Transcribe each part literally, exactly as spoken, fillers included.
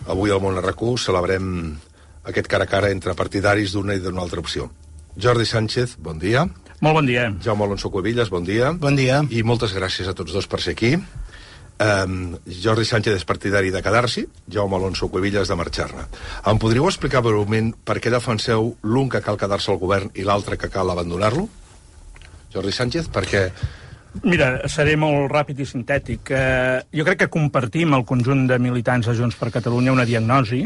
Avui al Món R Q celebrem aquest cara a cara entre partidaris d'una i d'una altra opció. Jordi Sánchez, bon dia. Molt bon dia. Jaume Alonso Cuevillas, bon dia. Bon dia. I moltes gràcies a tots dos per ser aquí. Um, Jordi Sánchez és partidari de quedar-s'hi, Jaume Alonso Cuevillas de marxar-ne. Em podríeu explicar breument per què defenseu l'un que cal quedar-se al govern i l'altre que cal abandonar-lo? Jordi Sánchez, perquè... Mira, seré molt ràpid i sintètic. Eh, jo crec que compartim el conjunt de militants de Junts per Catalunya una diagnosi,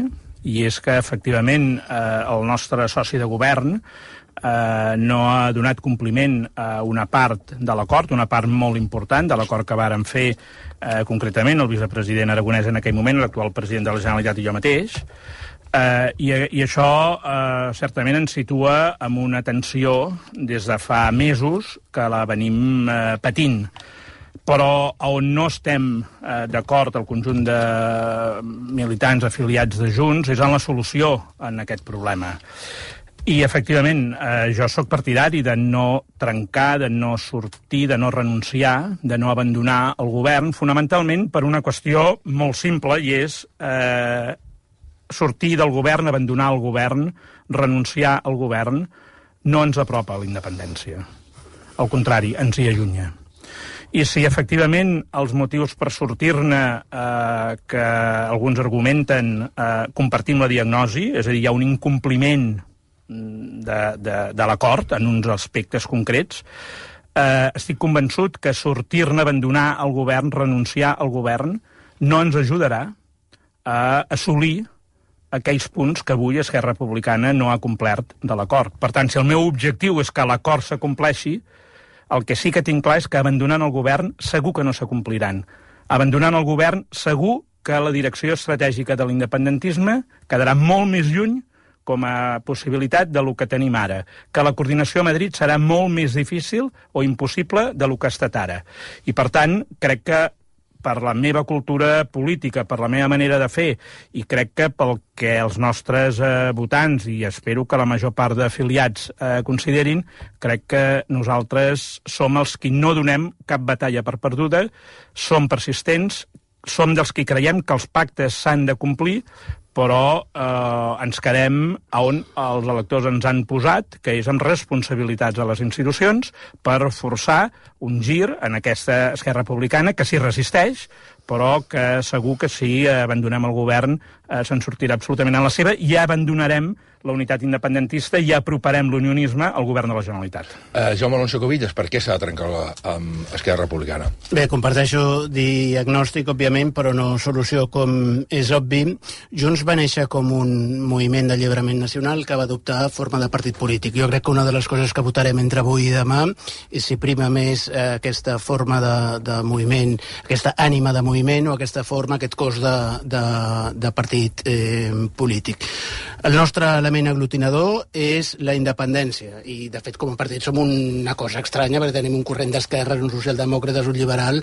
i és que, efectivament, eh, el nostre soci de govern eh, no ha donat compliment a una part de l'acord, una part molt important de l'acord que vàrem fer eh, concretament el vicepresident Aragonès en aquell moment, l'actual president de la Generalitat i jo mateix, eh, i, i això eh, certament ens situa en una tensió des de fa mesos que la venim eh, patint. Però on no estem eh, d'acord el conjunt de militants afiliats de Junts és en la solució en aquest problema. I, efectivament, eh, jo sóc partidari de no trencar, de no sortir, de no renunciar, de no abandonar el govern, fonamentalment per una qüestió molt simple, i és eh, sortir del govern, abandonar el govern, renunciar al govern, no ens apropa a la independència. Al contrari, ens hi allunya. I si, efectivament, els motius per sortir-ne eh, que alguns argumenten eh, compartim la diagnosi, és a dir, hi ha un incompliment de, de, de l'acord en uns aspectes concrets, eh, estic convençut que sortir-ne, abandonar el govern, renunciar al govern, no ens ajudarà a assolir aquells punts que avui Esquerra Republicana no ha complert de l'acord. Per tant, si el meu objectiu és que l'acord s'acompleixi, el que sí que tinc clar és que abandonant el govern segur que no s'acompliran. Abandonant el govern segur que la direcció estratègica de l'independentisme quedarà molt més lluny com a possibilitat de lo que tenim ara, que la coordinació a Madrid serà molt més difícil o impossible de lo que ha estat ara. I, per tant, crec que per la meva cultura política, per la meva manera de fer, i crec que pel que els nostres eh, votants, i espero que la major part d'afiliats eh, considerin, crec que nosaltres som els qui no donem cap batalla per perduda, som persistents, som dels qui creiem que els pactes s'han de complir, però eh, ens quedem on els electors ens han posat, que és amb responsabilitats a les institucions, per forçar un gir en aquesta Esquerra Republicana que s'hi resisteix, però que segur que si abandonem el govern eh, se'n sortirà absolutament en la seva, i abandonarem la unitat independentista i aproparem l'unionisme al govern de la Generalitat. Uh, Jaume Alonso Cuevillas, per què s'ha de trencar la, amb Esquerra Republicana? Bé, comparteixo diagnòstic, òbviament, però no solució, com és obvi. Junts va néixer com un moviment d'alliberament nacional que va adoptar forma de partit polític. Jo crec que una de les coses que votarem entre avui i demà és si prima més eh, aquesta forma de, de moviment, aquesta ànima de moviment o aquesta forma, aquest cos de, de, de partit eh, polític. El nostre element aglutinador és la independència, i de fet com a partit som una cosa estranya perquè tenim un corrent d'esquerres, un socialdemòcrata, un liberal,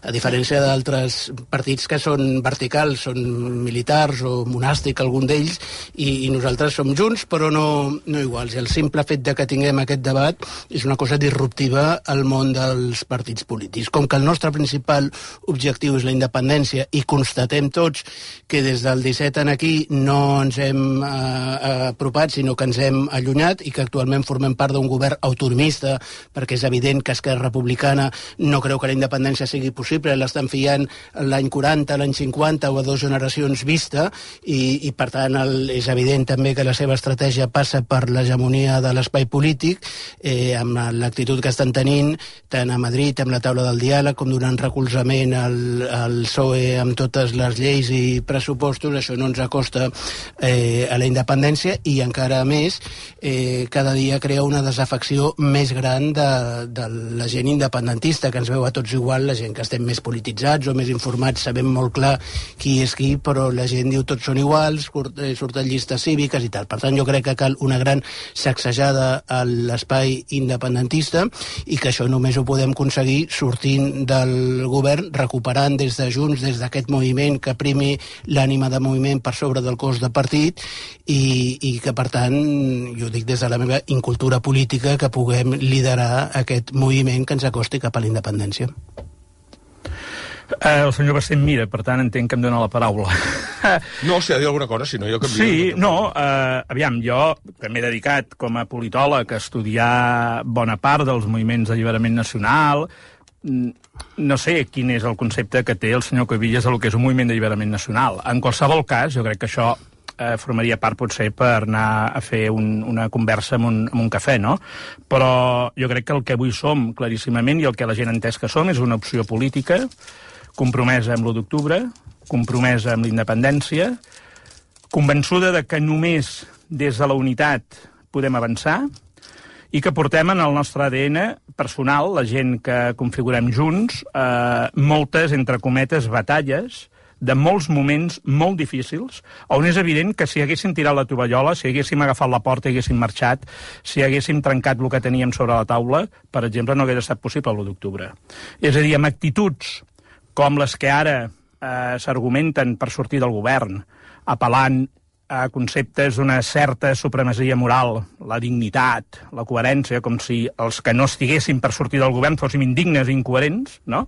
a diferència d'altres partits que són verticals, són militars o monàstic, algun d'ells, i, i nosaltres som junts però no, no iguals, i el simple fet de que tinguem aquest debat és una cosa disruptiva al món dels partits polítics. Com que el nostre principal objectiu és la independència i constatem tots que des del disset en aquí no ens hem eh, apropat, sinó que ens hem allunyat, i que actualment formem part d'un govern autonomista, perquè és evident que Esquerra Republicana no creu que la independència sigui possible, l'estan fiant l'any quaranta, l'any cinquanta o a dues generacions vista, i, i per tant el, és evident també que la seva estratègia passa per l'hegemonia de l'espai polític, eh, amb l'actitud que estan tenint tant a Madrid amb la taula del diàleg com donant recolzament al, al P S O E amb totes les lleis i pressupostos. Això no ens acosta eh, a la independència, i encara més eh, cada dia crea una desafecció més gran de, de la gent independentista, que ens veu a tots igual, la gent que estem més polititzats o més informats sabem molt clar qui és qui, però la gent diu tots són iguals, surten llistes cíviques i tal. Per tant, jo crec que cal una gran sacsejada a l'espai independentista, i que això només ho podem aconseguir sortint del govern, recuperant des de Junts, des d'aquest moviment, que primi l'ànima de moviment per sobre del cos de partit, i, i que, per tant, jo dic des de la meva incultura política, que puguem liderar aquest moviment que ens acosti cap a la independència. Uh, el senyor Bastén mira, per tant entenc que em dóna la paraula. No, si ha de dir alguna cosa, si no jo canvio. Sí, no, uh, aviam, jo que m'he dedicat com a politòleg a estudiar bona part dels moviments d'alliberament nacional, no sé quin és el concepte que té el senyor Cuevillas del que és un moviment d'alliberament nacional. En qualsevol cas, jo crec que això eh, formaria part potser per anar a fer un, una conversa amb un, amb un cafè, no? Però jo crec que el que avui som claríssimament i el que la gent ha entès que som és una opció política compromesa amb l'u d'octubre, compromesa amb la independència, convençuda de que només des de la unitat podem avançar i que portem en el nostre A D N personal, la gent que configurem junts, eh, moltes, entre cometes, batalles de molts moments molt difícils, on és evident que si haguéssim tirat la tovallola, si haguéssim agafat la porta i haguéssim marxat, si haguéssim trencat el que teníem sobre la taula, per exemple, no hagués estat possible l'u d'octubre. És a dir, amb actituds com les que ara eh, s'argumenten per sortir del govern, apel·lant a conceptes d'una certa supremacia moral, la dignitat, la coherència, com si els que no estiguessin per sortir del govern fóssim indignes i incoherents, no?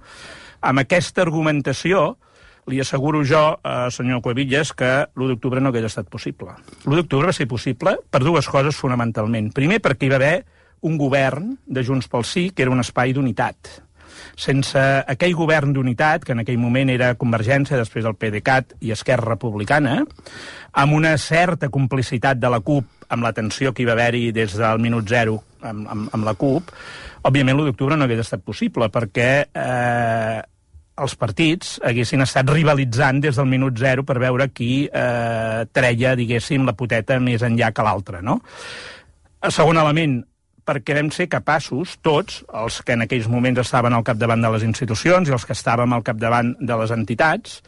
Amb aquesta argumentació li asseguro jo, eh, senyor Cuevillas, que l'u d'octubre no hagués estat possible. L'u d'octubre va ser possible per dues coses fonamentalment. Primer, perquè hi va haver un govern de Junts pel Sí que era un espai d'unitat. Sense aquell govern d'unitat, que en aquell moment era Convergència, després el PDeCAT i Esquerra Republicana, amb una certa complicitat de la CUP, amb la tensió que hi va haver-hi des del minut zero amb, amb, amb la CUP, òbviament l'u d'octubre no hagués estat possible, perquè eh, els partits haguessin estat rivalitzant des del minut zero per veure qui eh, treia, diguéssim, la poteta més enllà que l'altra, no? Segon element, perquè vam ser capaços, tots, els que en aquells moments estaven al capdavant de les institucions i els que estàvem al capdavant de les entitats,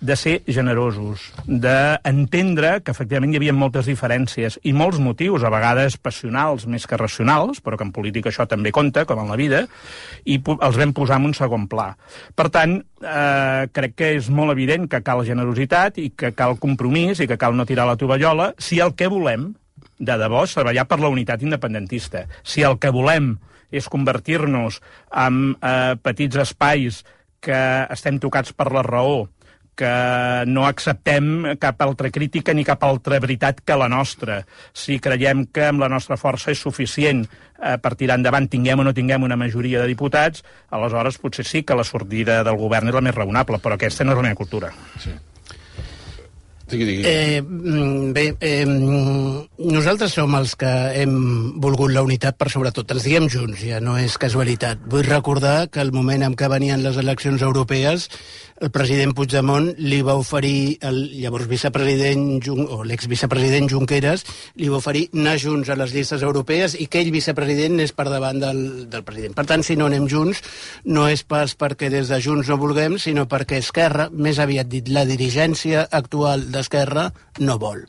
de ser generosos, d'entendre que efectivament hi havia moltes diferències i molts motius, a vegades passionals més que racionals, però que en política això també compta, com en la vida, i els vam posar en un segon pla. Per tant, eh, crec que és molt evident que cal generositat i que cal compromís i que cal no tirar la tovallola si el que volem de debò és treballar per la unitat independentista. Si el que volem és convertir-nos en eh, petits espais que estem tocats per la raó, que no acceptem cap altra crítica ni cap altra veritat que la nostra, si creiem que amb la nostra força és suficient eh, per tirar endavant, tinguem o no tinguem una majoria de diputats, aleshores potser sí que la sortida del govern és la més raonable, però aquesta no és la meva cultura. Sí. Digui, digui. Eh, bé, eh, nosaltres som els que hem volgut la unitat per sobretot. Ens diem junts, ja no és casualitat. Vull recordar que el moment en què venien les eleccions europees, el president Puigdemont li va oferir, el llavors vicepresident, o l'exvicepresident Junqueras, li va oferir anar junts a les llistes europees i que ell, vicepresident, és per davant del, del president. Per tant, si no anem junts, no és pas perquè des de Junts no vulguem, sinó perquè Esquerra, més aviat dit, la dirigència actual d'Esquerra no vol.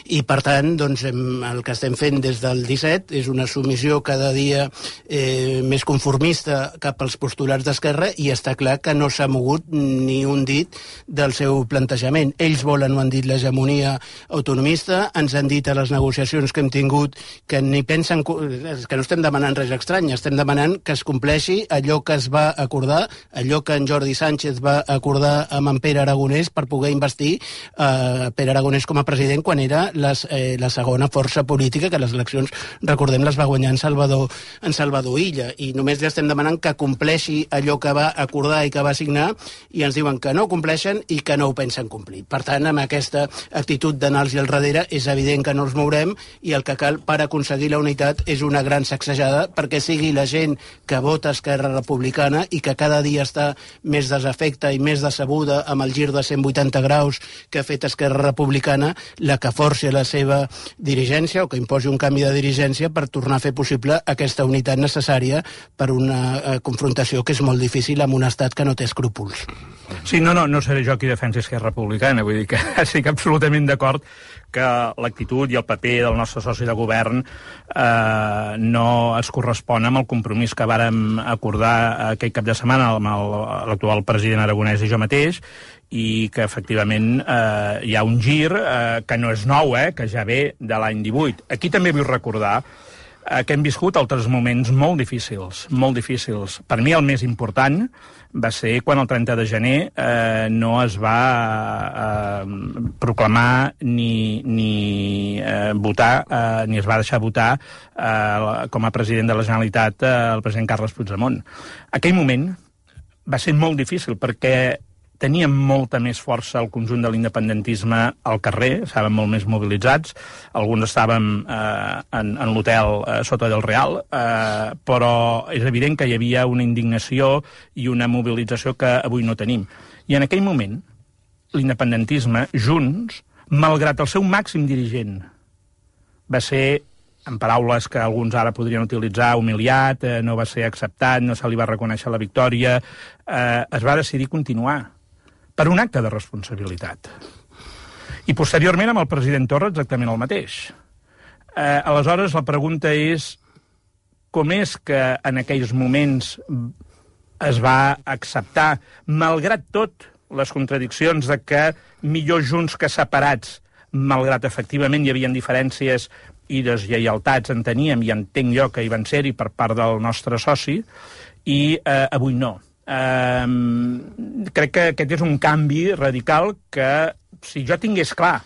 I, per tant, doncs, el que estem fent des del disset és una submissió cada dia eh, més conformista cap als postulats d'Esquerra i està clar que no s'ha mogut ni un dit del seu plantejament. Ells volen, ho han dit, l'hegemonia autonomista, ens han dit a les negociacions que hem tingut que ni pensen, que no estem demanant res estrany, estem demanant que es compleixi allò que es va acordar, allò que en Jordi Sánchez va acordar amb en Pere Aragonès per poder investir eh, Pere Aragonès com a president quan era les, eh, la segona força política, que les eleccions, recordem, les va guanyar en Salvador, en Salvador Illa, i només li estem demanant que compleixi allò que va acordar i que va signar, i ens diuen que no compleixen i que no ho pensen complir. Per tant, amb aquesta actitud d'anar-los al darrere, és evident que no els mourem, i el que cal per aconseguir la unitat és una gran sacsejada perquè sigui la gent que vota Esquerra Republicana i que cada dia està més desafecta i més decebuda amb el gir de cent vuitanta graus que ha fet Esquerra Republicana, la que forci la seva dirigència o que imposi un canvi de dirigència per tornar a fer possible aquesta unitat necessària per una eh, confrontació que és molt difícil amb un estat que no té escrúpols. Sí, no, no, no seré jo qui defensi Esquerra Republicana, vull dir que estic absolutament d'acord que l'actitud i el paper del nostre soci de govern eh, no es correspon amb el compromís que vàrem acordar aquell cap de setmana amb l'actual president Aragonès i jo mateix, i que efectivament eh, hi ha un gir eh, que no és nou, eh, que ja ve de l'any divuit. Aquí també vull recordar eh, que hem viscut altres moments molt difícils, molt difícils. Per mi el més important va ser quan el trenta de gener eh, no es va eh, proclamar ni, ni eh, votar, eh, ni es va deixar votar eh, com a president de la Generalitat eh, el president Carles Puigdemont. Aquell moment va ser molt difícil perquè teníem molta més força el conjunt de l'independentisme al carrer, estàvem molt més mobilitzats, alguns estàvem eh, en, en l'hotel eh, sota del Real, eh, però és evident que hi havia una indignació i una mobilització que avui no tenim. I en aquell moment, l'independentisme, Junts, malgrat el seu màxim dirigent, va ser, en paraules que alguns ara podrien utilitzar, humiliat, eh, no va ser acceptat, no se li va reconèixer la victòria, eh, es va decidir continuar per un acte de responsabilitat. I posteriorment amb el president Torra exactament el mateix. Eh, aleshores la pregunta és com és que en aquells moments es va acceptar, malgrat tot, les contradiccions de que millor junts que separats, malgrat efectivament hi havia diferències i deslleialtats, en teníem i entenc jo que hi van ser-hi per part del nostre soci, i eh, avui no. Uh, crec que aquest és un canvi radical que, si jo tingués clar,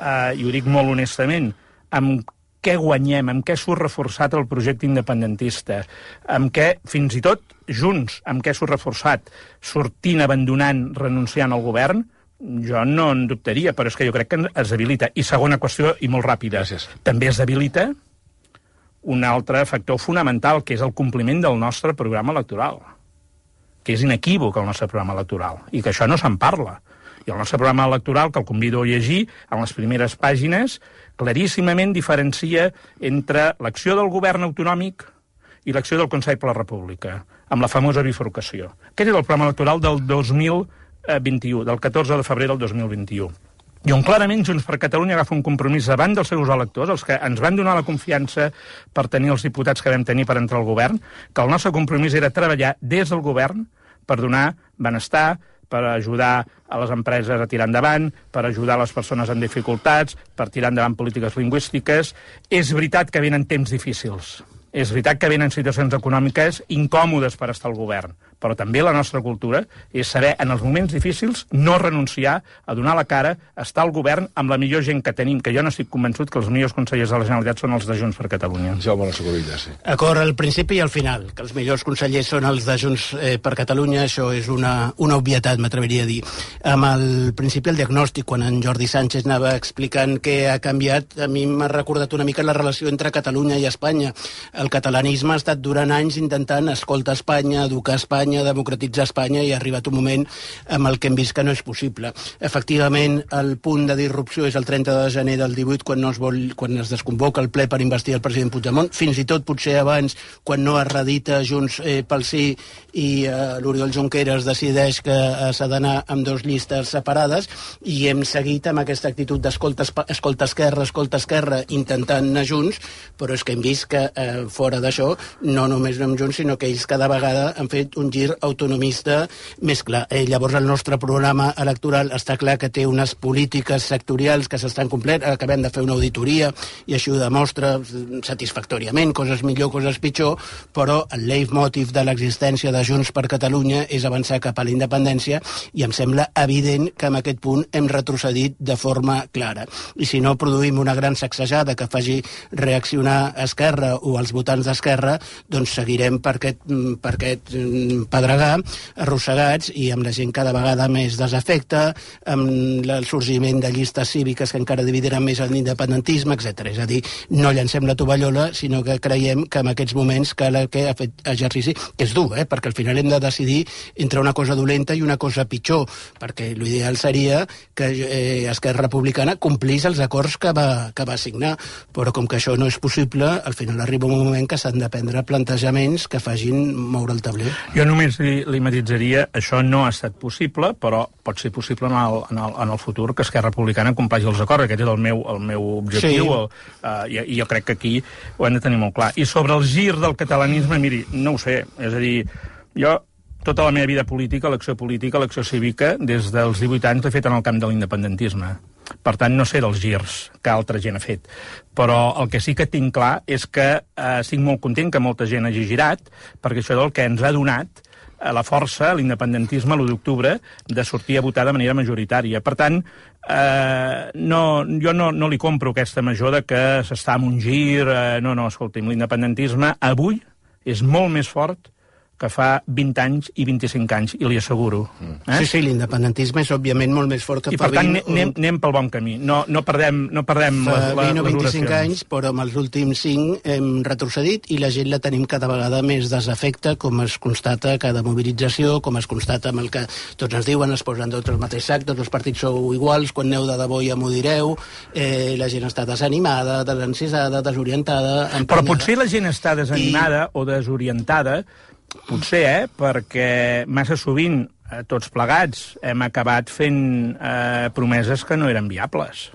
uh, i ho dic molt honestament, amb què guanyem, amb què surt reforçat el projecte independentista, amb què, fins i tot, Junts, amb què surt reforçat, sortint, abandonant, renunciant al govern, jo no en dubtaria, però és que jo crec que es debilita. I segona qüestió, i molt ràpida, Gràcies. També es debilita un altre factor fonamental, que és el compliment del nostre programa electoral, que és inequívoc el nostre programa electoral, i que això no se'n parla. I el nostre programa electoral, que el convido a llegir, en les primeres pàgines, claríssimament diferencia entre l'acció del govern autonòmic i l'acció del Consell per la República, amb la famosa bifurcació. Aquest és el programa electoral del dos mil vint-i-u, del catorze de febrer del dos mil vint-i-u. I on clarament Junts per Catalunya agafa un compromís davant dels seus electors, els que ens van donar la confiança per tenir els diputats que vam tenir per entrar al govern, que el nostre compromís era treballar des del govern per donar benestar, per ajudar a les empreses a tirar endavant, per ajudar les persones en dificultats, per tirar endavant polítiques lingüístiques. És veritat que venen temps difícils. És veritat que venen situacions econòmiques incòmodes per estar al govern, però també la nostra cultura és saber, en els moments difícils, no renunciar a donar la cara, a estar al govern amb la millor gent que tenim, que jo no estic convençut que els millors consellers de la Generalitat són els de Junts per Catalunya. Jaume Alonso Cuevillas, sí. Acord al principi i al final, que els millors consellers són els de Junts eh, per Catalunya, això és una, una obvietat, m'atreviria a dir. Amb el principi, el diagnòstic, quan en Jordi Sánchez anava explicant què ha canviat, a mi m'ha recordat una mica la relació entre Catalunya i Espanya. El catalanisme ha estat durant anys intentant escoltar Espanya, educar Espanya, democratitzar Espanya, i ha arribat un moment amb el que hem vist que no és possible. Efectivament, el punt de disrupció és el trenta de gener del divuit, quan, no es, vol, quan es desconvoca el ple per investir el president Puigdemont, fins i tot potser abans, quan no es redita Junts eh, pel Sí i eh, l'Oriol Junqueras decideix que eh, s'ha d'anar amb dues llistes separades, i hem seguit amb aquesta actitud d'escolta escolta esquerra, escolta esquerra, intentant anar junts, però és que hem vist que eh, fora d'això, no només anem junts, sinó que ells cada vegada han fet un gir autonomista més clar. Eh, llavors el nostre programa electoral està clar que té unes polítiques sectorials que s'estan complint, acabem de fer una auditoria i això ho demostra satisfactòriament, coses millor, coses pitjor, però el leitmotiv de l'existència de Junts per Catalunya és avançar cap a la independència, i em sembla evident que en aquest punt hem retrocedit de forma clara. I si no produïm una gran sacsejada que faci reaccionar Esquerra o els votants d'Esquerra, doncs seguirem per aquest, per aquest pedregar, arrossegats, i amb la gent cada vegada més desafecta, amb el sorgiment de llistes cíviques que encara dividiran més l'independentisme, etcètera. És a dir, no llancem la tovallola, sinó que creiem que en aquests moments cal que ha fet exercici, que és dur, eh? Perquè al final hem de decidir entre una cosa dolenta i una cosa pitjor, perquè l'ideal seria que eh, Esquerra Republicana complís els acords que va, que va signar, però com que això no és possible, al final arriba un moment que s'han de prendre plantejaments que facin moure el tabler. Jo només li, li matitzaria, això no ha estat possible, però pot ser possible en el, en el, en el futur que Esquerra Republicana compleixi els acords. Aquest és el meu, el meu objectiu, sí. el, uh, i, i jo crec que aquí ho hem de tenir molt clar. I sobre el gir del catalanisme, miri, no ho sé, és a dir, jo tota la meva vida política, l'acció política, l'acció cívica, des dels divuit anys l'he fet en el camp de l'independentisme. Per tant, no sé dels girs que altra gent ha fet. Però el que sí que tinc clar és que eh, estic molt content que molta gent hagi girat, perquè això és el que ens ha donat eh, la força, l'independentisme, l'u d'octubre, de sortir a votar de manera majoritària. Per tant, eh, no, jo no, no li compro aquesta major de que s'està en un gir. Eh, no, no, escolti'm, l'independentisme avui és molt més fort que fa vint anys i vint-i-cinc anys, i li asseguro. Eh? Sí, sí, l'independentisme és, òbviament, molt més fort que I fa per tant, vint... anem, anem pel bon camí. No, no perdem, no perdem fa les, les, vint o vint-i-cinc les anys, però amb els últims cinc hem retrocedit i la gent la tenim cada vegada més desafecte, com es constata a cada mobilització, com es constata amb el que tots ens diuen, es posen tots al mateix sac, tots els partits sou iguals, quan aneu de debò ja m'ho direu, eh, la gent està desanimada, desencisada, desorientada... Emprenyada. Però potser la gent està desanimada I... o desorientada. Potser, eh? Perquè massa sovint, eh, tots plegats, hem acabat fent eh, promeses que no eren viables.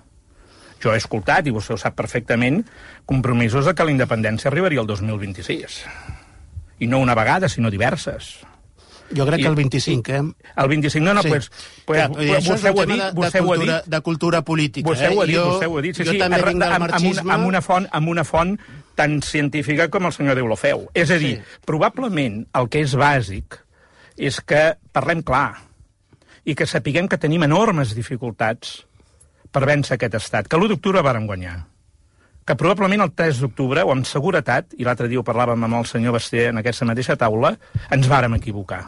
Jo he escoltat, i vostè ho sap perfectament, compromisos de que la independència arribaria el dos mil vint-i-sis. I no una vegada, sinó diverses. Jo crec I, que el vint-i-cinc, eh? El vint-i-cinc, no, no, sí. pues, pues, Clar, pues vostè ho ha dit, de, vostè de ho ha cultura, dit. De cultura política, vostè eh? Ho ha dit, jo, vostè ho ha dit, sí, jo sí, també vinc del amb, marxisme... amb, una, amb, una font, amb una font tan científica com el senyor Deulofeu. És a dir, sí. probablement el que és bàsic és que parlem clar i que sapiguem que tenim enormes dificultats per vèncer aquest estat, que l'u d'octubre vàrem guanyar, que probablement el tres d'octubre, o amb seguretat, i l'altre dia ho parlàvem amb el senyor Basté en aquesta mateixa taula, ens vàrem equivocar.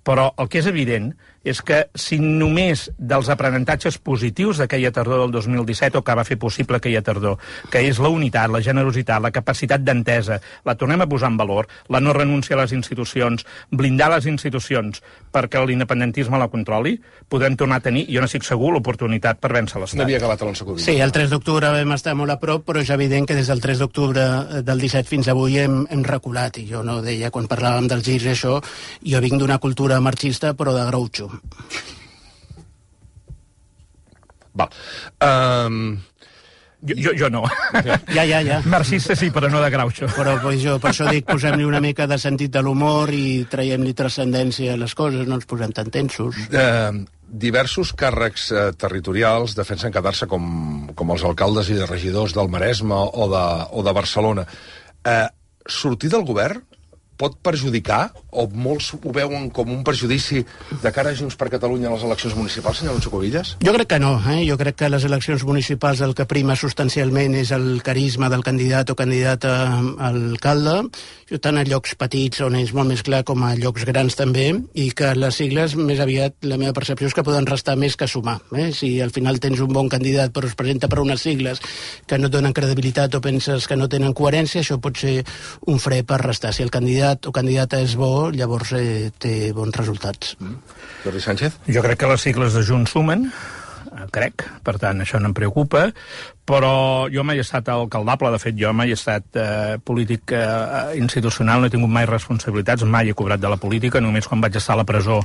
Però el que és evident és que si només dels aprenentatges positius d'aquella tardor del dos mil disset, o que va fer possible aquella tardor, que és la unitat, la generositat, la capacitat d'entesa, la tornem a posar en valor, la no renúncia a les institucions, blindar les institucions perquè l'independentisme la controli, podrem tornar a tenir, jo no estic segur, l'oportunitat per vèncer l'Estat. N'havia acabat Alonso Cubillas. Sí, el tres d'octubre vam estar molt a prop, però és evident que des del tres d'octubre del disset fins avui hem, hem reculat, i jo no deia, quan parlàvem dels girs i això, jo vinc d'una cultura marxista, però de Groucho. Val. Um... Jo, jo, jo no. Ja, ja, ja. Marxista sí, però no de Groucho. Però pues, jo per això dic, posem-li una mica de sentit de l'humor i traiem-li transcendència a les coses, no ens posem tan tensos. Uh, diversos càrrecs uh, territorials defensen quedar-se com, com els alcaldes i regidors del Maresme o de, o de Barcelona. Uh, sortir del govern pot perjudicar, o molts ho veuen com un perjudici de cara a Junts per Catalunya a les eleccions municipals, senyor Alonso Cubillas? Jo crec que no, eh? Jo crec que a les eleccions municipals el que prima substancialment és el carisma del candidat o candidata a alcalde, tant a llocs petits on és molt més clar com a llocs grans també, i que les sigles, més aviat, la meva percepció és que poden restar més que sumar. Eh? Si al final tens un bon candidat però es presenta per unes sigles que no et donen credibilitat o penses que no tenen coherència, això pot ser un fre per restar. Si el candidat o candidata és bo, llavors eh, té bons resultats. Mm. Jordi Sánchez? Jo crec que les sigles de Junts sumen, crec, per tant això no em preocupa, però jo mai he estat alcaldable, de fet jo mai he estat eh, polític eh, institucional, no he tingut mai responsabilitats, mai he cobrat de la política, només quan vaig estar a la presó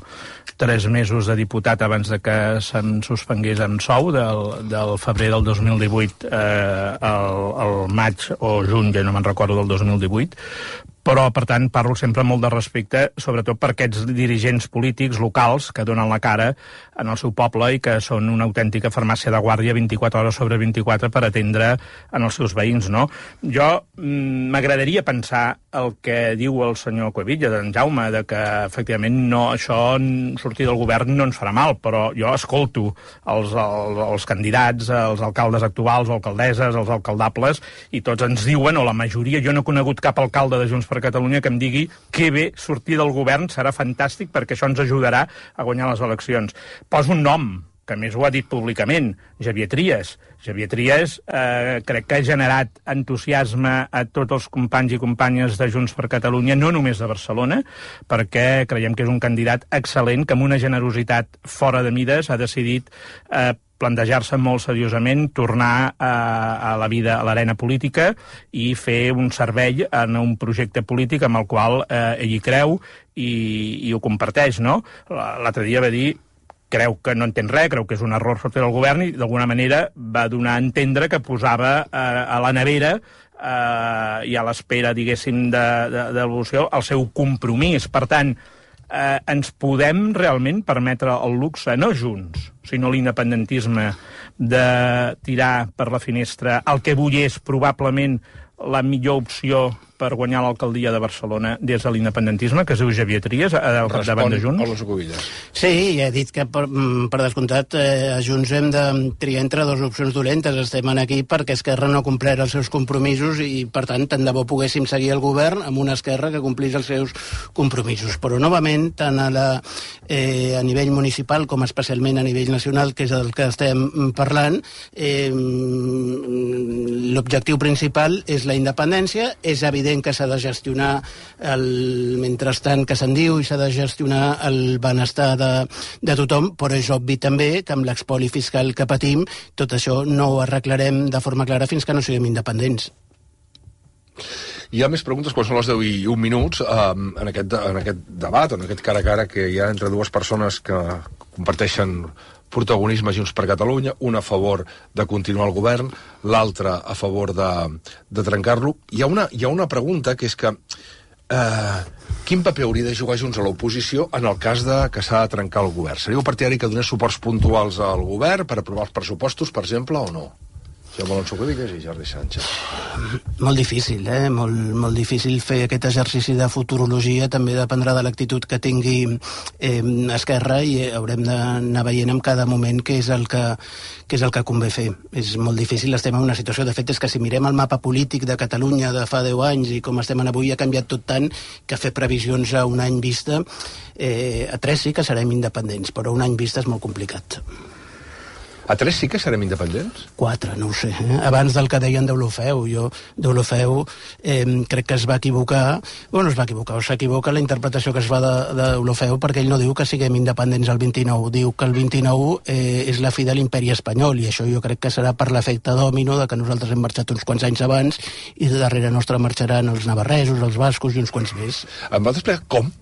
tres mesos de diputat abans de que se'm suspengués en sou, del, del febrer del dos mil divuit eh, al, al maig o juny, ja no me'n recordo, del dos mil divuit, però, per tant, parlo sempre molt de respecte, sobretot per aquests dirigents polítics locals que donen la cara en el seu poble i que són una autèntica farmàcia de guàrdia vint-i-quatre hores sobre vint-i-quatre per atendre en els seus veïns, no? Jo m'agradaria pensar el que diu el senyor Cuevillas, en Jaume, de que, efectivament, no, això, sortir del govern no ens farà mal, però jo escolto els, els, els candidats, els alcaldes actuals, o alcaldesses, els alcaldables, i tots ens diuen, o la majoria, jo no he conegut cap alcalde de Junts per Catalunya que em digui que bé sortir del govern serà fantàstic perquè això ens ajudarà a guanyar les eleccions. Poso un nom, que més ho ha dit públicament, Xavier Trias. Xavier Trias eh, crec que ha generat entusiasme a tots els companys i companyes de Junts per Catalunya, no només de Barcelona, perquè creiem que és un candidat excel·lent, que amb una generositat fora de mides ha decidit eh, plantejar-se molt seriosament, tornar a, a la vida, a l'arena política i fer un servei en un projecte polític amb el qual eh, ell hi creu i, i ho comparteix, no? L'altre dia va dir creu que no entén res, creu que és un error sortir del govern i d'alguna manera va donar a entendre que posava eh, a la nevera eh, i a l'espera, diguéssim, de, de, de l'evolució el seu compromís. Per tant, eh, ens podem realment permetre el luxe, no Junts, sinó l'independentisme, de tirar per la finestra el que avui és probablement la millor opció per guanyar l'alcaldia de Barcelona des de l'independentisme, que es diu Xavier Trias, al capdavant de Junts? Respon Alonso Cuevillas. Sí, ja he dit que, per, per descomptat, eh, a Junts hem de triar entre dues opcions dolentes. Estem aquí perquè Esquerra no ha complert els seus compromisos i, per tant, tant de bo poguéssim seguir el govern amb una Esquerra que complís els seus compromisos. Però, novament, tant a, la, eh, a nivell municipal com especialment a nivell nacional, que és el que estem parlant, eh, l'objectiu principal és la independència. És evident que s'ha de gestionar el mentrestant que se'n diu i s'ha de gestionar el benestar de, de tothom, però és obvi també que amb l'expoli fiscal que patim tot això no ho arreglarem de forma clara fins que no siguem independents. Hi ha més preguntes quan són les deu i un minuts eh, en, aquest, en aquest debat, en aquest cara a cara que hi ha entre dues persones que comparteixen protagonisme Junts per Catalunya, un a favor de continuar el govern, l'altre a favor de, de trencar-lo. Hi ha una, hi ha una pregunta que és que eh, quin paper hauria de jugar Junts a l'oposició en el cas de que s'ha de trencar el govern? Seríeu partidari que donés suports puntuals al govern per aprovar els pressupostos, per exemple, o no? Jaume Alonso Cuevillas i Jordi Sánchez. Molt difícil, eh? Molt, molt difícil fer aquest exercici de futurologia. També dependrà de l'actitud que tingui eh, Esquerra i haurem d'anar veient en cada moment què és el que, què és el que convé fer. És molt difícil, estem en una situació, de fet, és que si mirem el mapa polític de Catalunya de fa deu anys i com estem en avui ha canviat tot tant que fer previsions a un any vista, eh, a tres sí que serem independents, però un any vista és molt complicat. A tres sí que serem independents? Quatre, no ho sé. Eh? Abans del que deien d'Olofeu, jo d'Olofeu eh, crec que es va equivocar, bueno, es va equivocar, o s'equivoca la interpretació que es fa d'Olofeu, perquè ell no diu que siguem independents el vint-i-nou, diu que el vint-i-nou eh, és la fi de l'imperi espanyol, i això jo crec que serà per l'efecte dòmino de que nosaltres hem marxat uns quants anys abans i de darrere nostre marxaran els navarresos, els bascos i uns quants més. Em vas explicar com?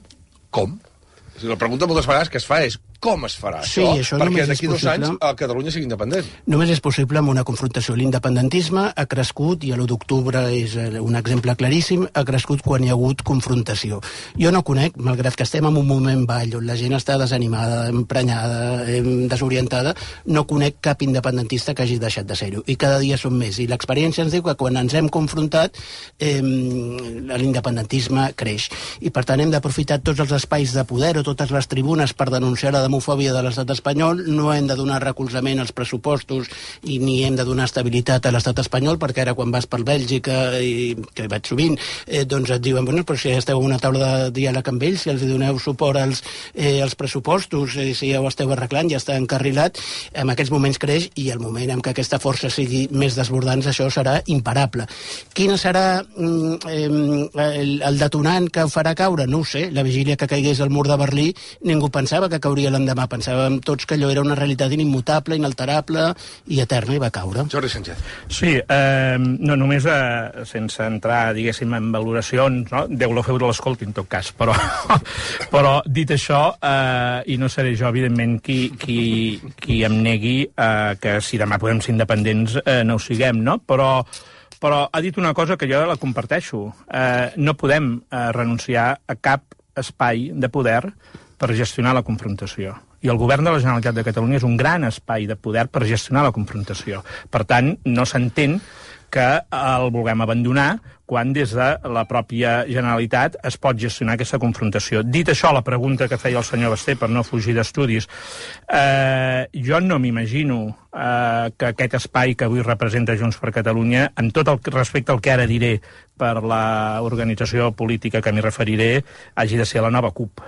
Com? O sigui, la pregunta moltes vegades que es fa és com es farà sí, això? això perquè d'aquí dos possible. anys a Catalunya sigui independent. Només és possible amb una confrontació. L'independentisme ha crescut, i l'u d'octubre és un exemple claríssim, ha crescut quan hi ha hagut confrontació. Jo no conec, malgrat que estem en un moment ball on la gent està desanimada, emprenyada, desorientada, no conec cap independentista que hagi deixat de ser-ho. I cada dia són més. I l'experiència ens diu que quan ens hem confrontat eh, l'independentisme creix. I per tant hem d'aprofitar tots els espais de poder o totes les tribunes per denunciar la demofòbia de l'estat espanyol. No hem de donar recolzament als pressupostos i ni hem de donar estabilitat a l'estat espanyol, perquè ara quan vas per Bèlgica, i que vaig sovint, eh, doncs et diuen, bueno, però si esteu a una taula de diàleg amb ells, si els doneu suport als, eh, als pressupostos, eh, si ja ho esteu arreglant, ja està encarrilat, en aquests moments creix, i el moment en què aquesta força sigui més desbordant, això serà imparable. Quin serà mm, eh, el, el detonant que ho farà caure? No ho sé. La vigília que caigués el mur de Berlí, ningú pensava que cauria l'endemà. Pensàvem tots que allò era una realitat inimmutable, inalterable i eterna, i va caure. Jordi Sánchez. Sí, eh, no només eh, sense entrar, diguéssim, en valoracions, no? Déu-lo fer de l'escolti, en tot cas, però, però dit això, eh, i no seré jo, evidentment, qui, qui, qui em negui eh, que si demà podem ser independents eh, no ho siguem, no? Però però ha dit una cosa que jo la comparteixo. Eh, no podem eh, renunciar a cap espai de poder per gestionar la confrontació. I el govern de la Generalitat de Catalunya és un gran espai de poder per gestionar la confrontació. Per tant, no s'entén que el vulguem abandonar quan des de la pròpia Generalitat es pot gestionar aquesta confrontació. Dit això, la pregunta que feia el senyor Basté, per no fugir d'estudis, eh, jo no m'imagino eh, que aquest espai que avui representa Junts per Catalunya, amb tot el respecte al que ara diré per l'organització política que m'hi referiré, hagi de ser la nova CUP.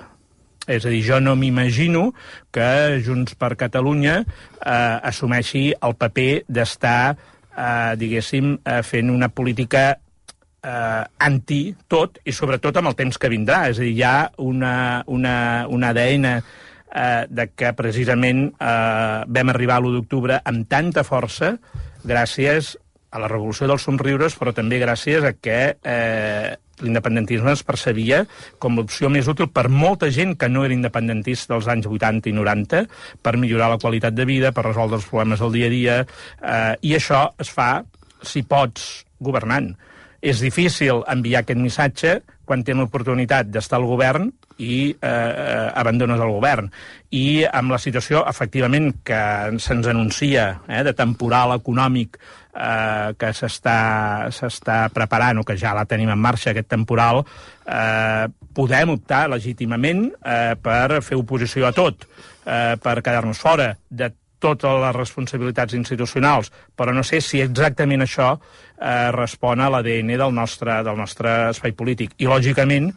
És a dir, jo no m'imagino que Junts per Catalunya eh, assumeixi el paper d'estar, eh, diguéssim, eh, fent una política eh, anti-tot, i sobretot amb el temps que vindrà. És a dir, hi ha una, una, un A D N eh, de que precisament eh, vam arribar a l'u d'octubre amb tanta força gràcies a la revolució dels somriures, però també gràcies a que eh, l'independentisme es percebia com l'opció més útil per molta gent que no era independentista dels anys vuitanta i noranta, per millorar la qualitat de vida, per resoldre els problemes del dia a dia, eh, i això es fa, si pots, governant. És difícil enviar aquest missatge quan tenen l'oportunitat d'estar al govern i eh, eh, abandones el govern. I amb la situació, efectivament, que se'ns anuncia eh, de temporal econòmic eh, que s'està preparant, o que ja la tenim en marxa, aquest temporal, eh, podem optar legítimament eh, per fer oposició a tot, eh, per quedar-nos fora de totes les responsabilitats institucionals, però no sé si exactament això eh, respon a l'A D N del nostre, del nostre espai polític. I, lògicament,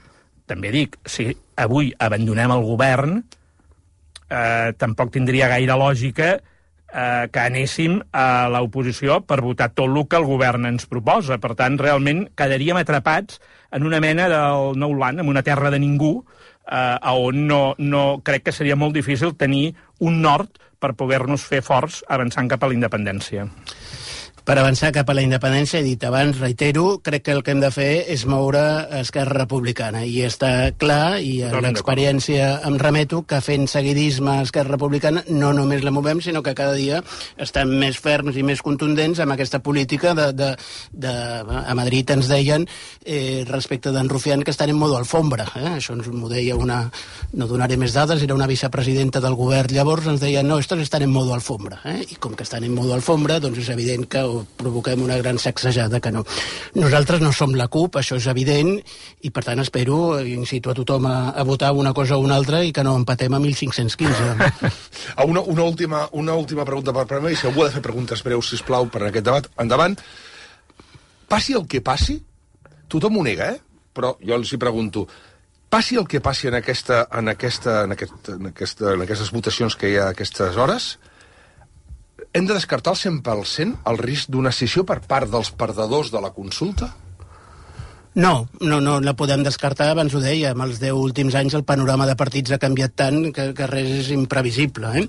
també dic, si avui abandonem el govern, eh, tampoc tindria gaire lògica eh, que anéssim a l'oposició per votar tot el que el govern ens proposa. Per tant, realment quedaríem atrapats en una mena del nou land, en una terra de ningú, eh, on no, no, crec que seria molt difícil tenir un nord per poder-nos fer forts avançant cap a la independència. Per avançar cap a la independència, he dit abans, reitero, crec que el que hem de fer és moure Esquerra Republicana. I està clar, i a l'experiència em remeto, que fent seguidisme a Esquerra Republicana no només la movem, sinó que cada dia estem més ferms i més contundents amb aquesta política de... de, de a Madrid ens deien, eh, respecte d'en Rufián, que estan en modo alfombra. Eh? Això ens m'ho deia una... No donaré més dades, era una vicepresidenta del govern llavors, ens deien, no, estos estan en modo alfombra. Eh? I com que estan en modo alfombra, doncs és evident que provoquem una gran sacsejada, que no. Nosaltres no som la CUP, això és evident, i per tant espero, incito a tothom a, a votar una cosa o una altra i que no empatem a mil cinc-cents quinze. una, una, última, una última pregunta per Premi, si algú ha de fer preguntes breus, sisplau, per aquest debat. Endavant. Passi el que passi, tothom ho nega, eh? Però jo els hi pregunto, passi el que passi en, aquesta, en, aquesta, en, aquest, en, aquesta, en aquestes votacions que hi ha a aquestes hores, hem de descartar el cent per cent el risc d'una escissió per part dels perdedors de la consulta? No, no, no la podem descartar, abans ho deia, amb els deu últims anys el panorama de partits ha canviat tant que, que res és imprevisible. Eh?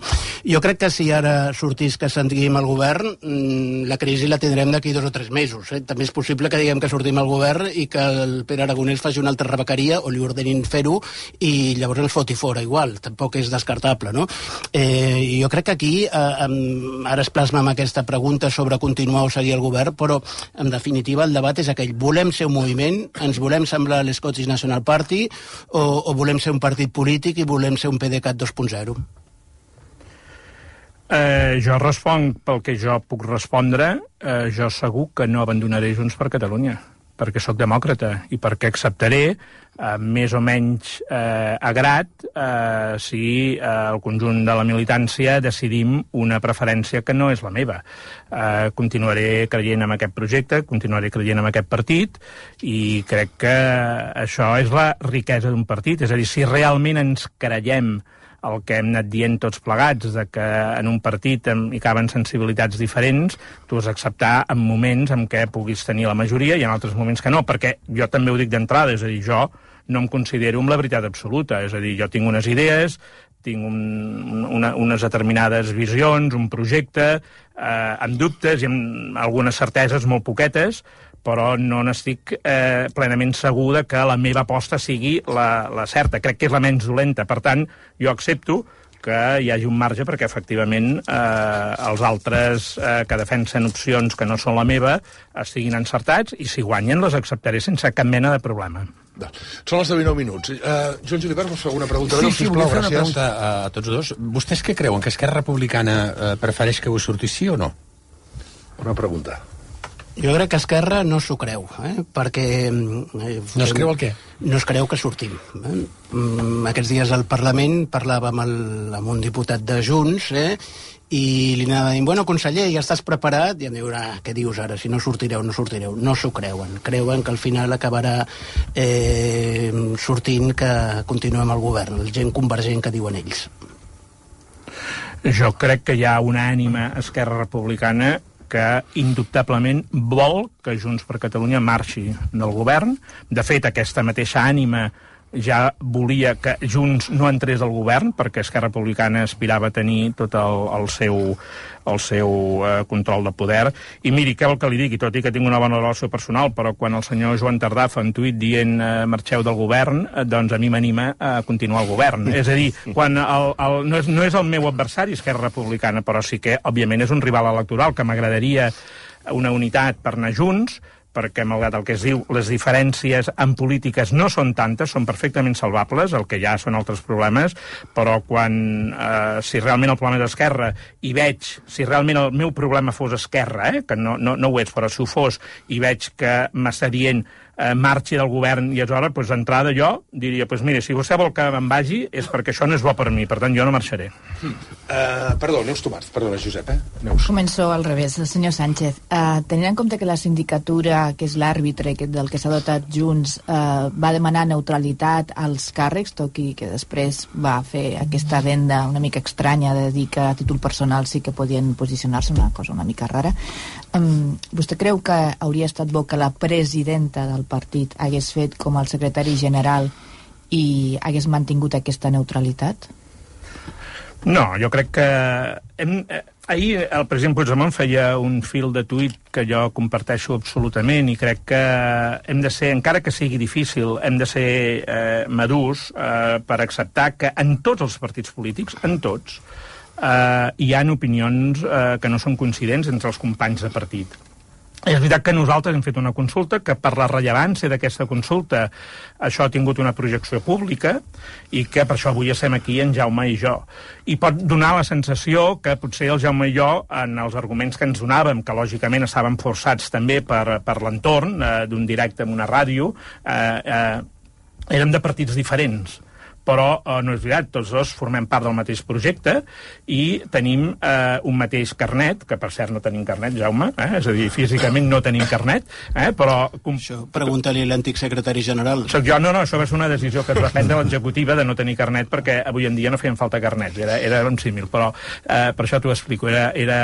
Jo crec que si ara sortís que sentim al govern, la crisi la tindrem d'aquí dos o tres mesos. Eh? També és possible que diguem que sortim al govern i que el Pere Aragonès faci una altra rebequeria o li ordenin fer-ho i llavors ens foti fora igual. Tampoc és descartable, no? Eh, jo crec que aquí, eh, ara es plasma amb aquesta pregunta sobre continuar o seguir el govern, però en definitiva el debat és aquell. Volem ser un moviment, ens volem semblar a l'Scottish National Party o, o volem ser un partit polític i volem ser un PDeCAT dos punt zero? Eh, jo responc pel que jo puc respondre. Eh, jo segur que no abandonaré Junts per Catalunya, perquè sóc demòcrata i perquè acceptaré eh, més o menys eh, agrat eh, si eh, el conjunt de la militància decidim una preferència que no és la meva. Eh, continuaré creient en aquest projecte, continuaré creient en aquest partit i crec que això és la riquesa d'un partit. És a dir, si realment ens creiem el que hem anat dient tots plegats, de que en un partit hi caben sensibilitats diferents, tu has d'acceptar en moments en què puguis tenir la majoria i en altres moments que no, perquè jo també ho dic d'entrada, és a dir, jo no em considero amb la veritat absoluta, és a dir, jo tinc unes idees, tinc un, una, unes determinades visions, un projecte, eh, amb dubtes i amb algunes certeses molt poquetes, però no n'estic eh, plenament segur de que la meva aposta sigui la, la certa. Crec que és la menys dolenta. Per tant, jo accepto que hi hagi un marge perquè, efectivament, eh, els altres eh, que defensen opcions que no són la meva estiguin encertats i, si guanyen, les acceptaré sense cap mena de problema. Són els dinou minuts. Uh, Joan Julivert, vols fer alguna pregunta? Sí, sí, volia fer una pregunta a, a tots dos. Vostès què creuen? Que Esquerra Republicana eh, prefereix que ho surti sí o no? Una pregunta. Jo crec que Esquerra no s'ho creu, eh? perquè... Eh, no es creu el què? No es creu que sortim. Eh? Aquests dies al Parlament parlava amb, el, amb un diputat de Junts, eh? i li anava dient, bueno, conseller, ja estàs preparat? I em diu, ah, què dius ara? Si no sortireu, no sortireu. No s'ho creuen. Creuen que al final acabarà eh, sortint que continuem al govern, el gent convergent que diuen ells. Jo crec que hi ha una ànima Esquerra Republicana que indubtablement vol que Junts per Catalunya marxi del govern. De fet, aquesta mateixa ànima ja volia que Junts no entrés al govern, perquè Esquerra Republicana aspirava a tenir tot el, el seu, el seu eh, control de poder. I miri, què vol que li digui, tot i que tinc una bona relació personal, però quan el senyor Joan Tardà fa un tuit dient eh, marxeu del govern, eh, doncs a mi m'anima a continuar al govern. És a dir, quan el, el, no, és, no és el meu adversari Esquerra Republicana, però sí que, òbviament, és un rival electoral, que m'agradaria una unitat per anar junts, perquè, malgrat el que es diu, les diferències en polítiques no són tantes, són perfectament salvables, el que ja són altres problemes, però quan, eh, si realment el problema és Esquerra, i veig, si realment el meu problema fos Esquerra, eh, que no, no, no ho és, però si ho fos, i veig que m'està dient eh, marxi del govern, i aleshores, doncs, d'entrada jo diria, doncs mira, si vostè vol que me'n vagi és perquè això no és bo per mi, per tant jo no marxaré. Mm. Uh, perdó, Neus Tomàs, perdona, Josep, eh? Neus. Començo al revés, el senyor Sánchez. Uh, tenint en compte que la sindicatura, que és l'àrbitre del que s'ha dotat Junts, uh, va demanar neutralitat als càrrecs, tot i que després va fer aquesta venda una mica estranya de dir que a títol personal sí que podien posicionar-se, una cosa una mica rara. Um, vostè creu que hauria estat bo que la presidenta del partit hagués fet com el secretari general i hagués mantingut aquesta neutralitat? No, jo crec que... Hem, eh, ahir el president Puigdemont feia un fil de tuit que jo comparteixo absolutament i crec que hem de ser, encara que sigui difícil, hem de ser eh, madurs eh, per acceptar que en tots els partits polítics, en tots, eh, hi ha opinions eh, que no són coincidents entre els companys de partit. És veritat que nosaltres hem fet una consulta que per la rellevància d'aquesta consulta això ha tingut una projecció pública i que per això avui estem aquí en Jaume i jo. I pot donar la sensació que potser el Jaume i jo, en els arguments que ens donàvem, que lògicament estaven forçats també per, per l'entorn eh, d'un directe en una ràdio, eh, eh, érem de partits diferents. Però eh, no és veritat, tots dos formem part del mateix projecte i tenim eh, un mateix carnet, que per cert no tenim carnet, Jaume, eh? És a dir, físicament no tenim carnet, eh? però... Com... Això, pregunta-li a l'antic secretari general. Soc jo, no, no, això va ser una decisió que es va prendre l'executiva de no tenir carnet perquè avui en dia no feien falta carnet, era, era un símil, però eh, per això t'ho explico, era... era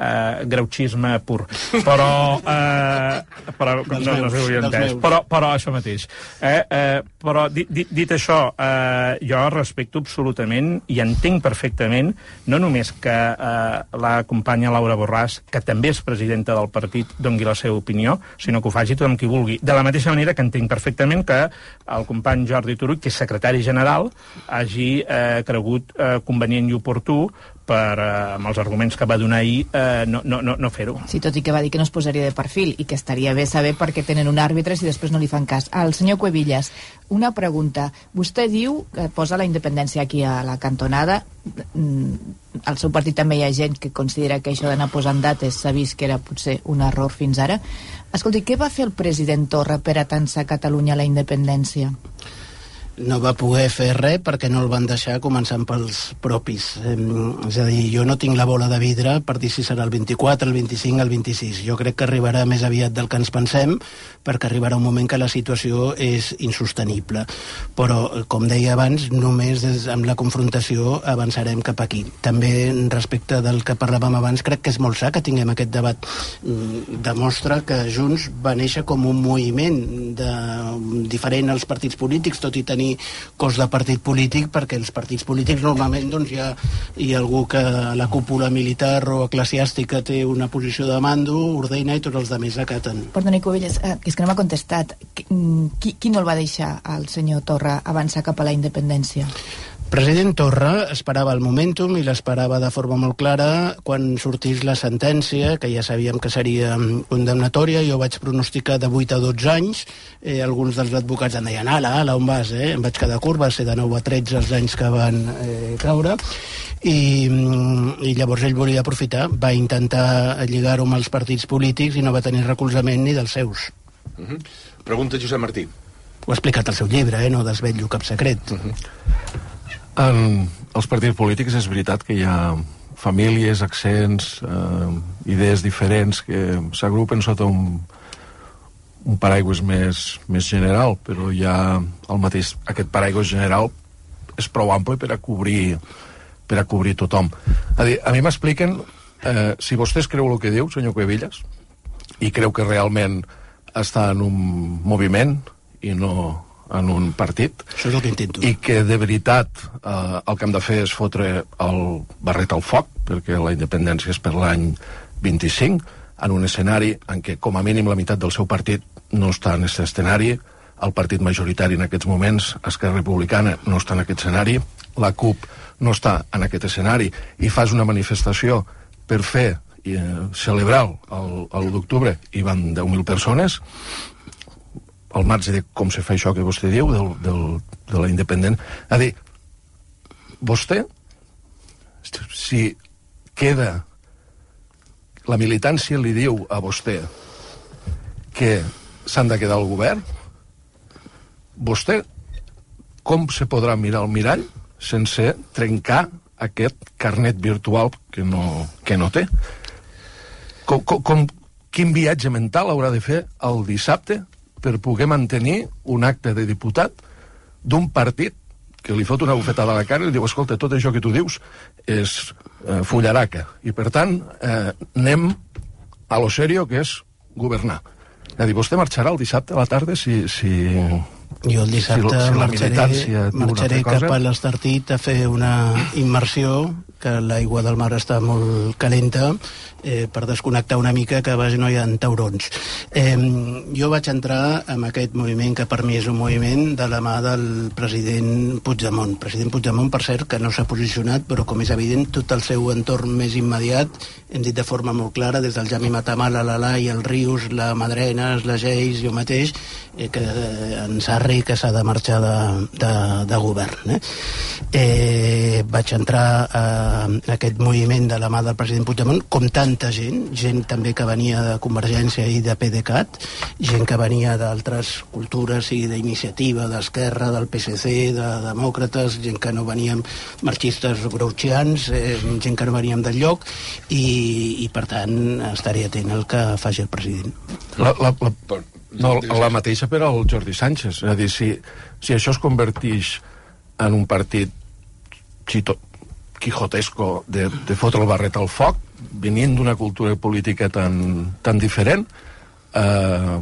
Uh, greuxisme pur, però uh, però no, no s'ho hauria entès, però, però això mateix eh? Uh, però dit, dit, dit això uh, jo respecto absolutament i entenc perfectament no només que uh, la companya Laura Borràs, que també és presidenta del partit, doni la seva opinió, sinó que ho faci tothom qui vulgui, de la mateixa manera que entenc perfectament que el company Jordi Turull, que és secretari general, hagi uh, cregut uh, convenient i oportú per, eh, amb els arguments que va donar ahir, eh, no, no, no, no fer-ho. Sí, tot i que va dir que no es posaria de perfil i que estaria bé saber per què tenen un àrbitre si després no li fan cas. Al senyor Cuevillas, una pregunta. Vostè diu que posa la independència aquí a la cantonada. Al seu partit també hi ha gent que considera que això d'anar posant dates s'ha vist que era potser un error fins ara. Escolti, què va fer el president Torra per atançar Catalunya a la independència? No va poder fer res perquè no el van deixar, començant pels propis. Eh, és a dir, jo no tinc la bola de vidre per dir si serà el vint-i-quatre, el vint-i-cinc, el vint-i-sis. Jo crec que arribarà més aviat del que ens pensem, perquè arribarà un moment que la situació és insostenible. Però, com deia abans, només des, amb la confrontació avançarem cap aquí. També, respecte del que parlàvem abans, crec que és molt sa que tinguem aquest debat. Demostra que Junts va néixer com un moviment de, diferent als partits polítics, tot i tenir cos de partit polític, perquè els partits polítics normalment doncs, hi, ha, hi ha algú que a la cúpula militar o eclesiàstica té una posició de mando, ordena i tots els altres acaten. Perdoni, Cuevillas, eh, és que no m'ha contestat. Qui, qui no el va deixar al senyor Torra avançar cap a la independència? President Torra esperava el momentum i l'esperava de forma molt clara quan sortís la sentència, que ja sabíem que seria condemnatòria. Jo vaig pronosticar de vuit a dotze anys. Eh, alguns dels advocats em deien, ala, ala, on vas? Eh? Em vaig quedar curt, va ser de nou a tretze els anys que van eh, caure. I, i llavors ell volia aprofitar, va intentar lligar-ho amb els partits polítics i no va tenir recolzament ni dels seus. Uh-huh. Pregunta Josep Martí. Ho ha explicat al seu llibre, eh? No desvetllo cap secret. Uh-huh. En els partits polítics és veritat que hi ha famílies, accents, eh, idees diferents que s'agrupen sota un, un paraigües més, més general, però hi ha el mateix, aquest paraigües general és prou ample per a cobrir, per a cobrir tothom. A dir, a mi m'expliquen, eh, si vostès creu el que diu, senyor Cuevillas, i creu que realment està en un moviment i no en un partit, això és el que intento, i que de veritat eh, el que hem de fer és fotre el barret al foc, perquè la independència és per l'any vint-i-cinc, en un escenari en què com a mínim la meitat del seu partit no està en aquest escenari, el partit majoritari en aquests moments, Esquerra Republicana, no està en aquest escenari, la CUP no està en aquest escenari, i fas una manifestació per fer eh, celebrar el, el l'u d'octubre hi van deu mil persones, al marge de com se fa això que vostè diu, del, del, de la independent. A dir, vostè, si queda, la militància li diu a vostè que s'han de quedar al govern, vostè com se podrà mirar al mirall sense trencar aquest carnet virtual que no, que no té? Com, com, com, quin viatge mental haurà de fer el dissabte per poder mantenir un acte de diputat d'un partit que li fot una bufetada a la cara i li diu, escolta, tot això que tu dius és eh, fullaraca, i per tant eh, anem a lo serio, que és governar. És a dir, vostè marxarà el dissabte a la tarda si... si jo el dissabte si, si marxaré, marxaré cap a l'Estartit a fer una immersió, que l'aigua del mar està molt calenta, eh, per desconnectar una mica, que a base no hi ha taurons. Eh, jo vaig entrar en aquest moviment, que per mi és un moviment de la mà del president Puigdemont. President Puigdemont, per cert, que no s'ha posicionat, però com és evident, tot el seu entorn més immediat, hem dit de forma molt clara, des del Jami Matamala, l'Alai, el Rius, la Madrenes, la Geis, jo mateix, eh, que en Sarri, que s'ha de marxar de, de, de govern. Eh? Eh, vaig entrar a aquest moviment de la mà del president Puigdemont, com tanta gent, gent també que venia de Convergència i de PDeCAT, gent que venia d'altres cultures i d'iniciativa, d'Esquerra, del P S C, de demòcrates, gent que no veníem marxistes grouchians, eh, gent que no veníem del lloc, i, i per tant estaré atent al que faci el president. La, la, la, no, la mateixa per al Jordi Sánchez. És a dir, si, si això es converteix en un partit xito, quijotesco de, de fotre el barret al foc, venint d'una cultura política tan, tan diferent, eh,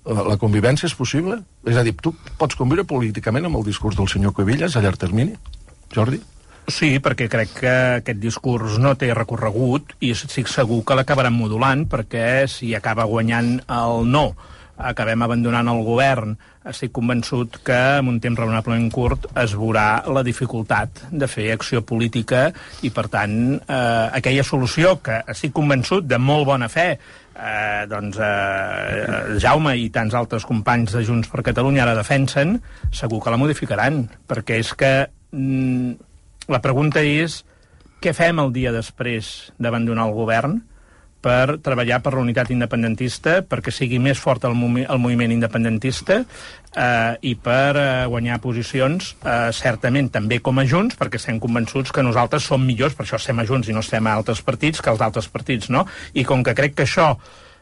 la convivència és possible? És a dir, tu pots conviure políticament amb el discurs del senyor Cuevillas a llarg termini, Jordi? Sí, perquè crec que aquest discurs no té recorregut i estic segur que l'acabaran modulant, perquè si acaba guanyant el no, acabem abandonant el govern, estic convençut que en un temps raonablement curt es veurà la dificultat de fer acció política i, per tant, eh, aquella solució que estic convençut de molt bona fe, eh, doncs eh, Jaume i tants altres companys de Junts per Catalunya ara defensen, segur que la modificaran, perquè és que mm, la pregunta és què fem el dia després d'abandonar el govern per treballar per la unitat independentista, perquè sigui més fort el, movi el moviment independentista eh, i per eh, guanyar posicions, eh, certament també com a Junts, perquè estem convençuts que nosaltres som millors, per això estem a Junts i no estem a altres partits, que els altres partits, no? I com que crec que això,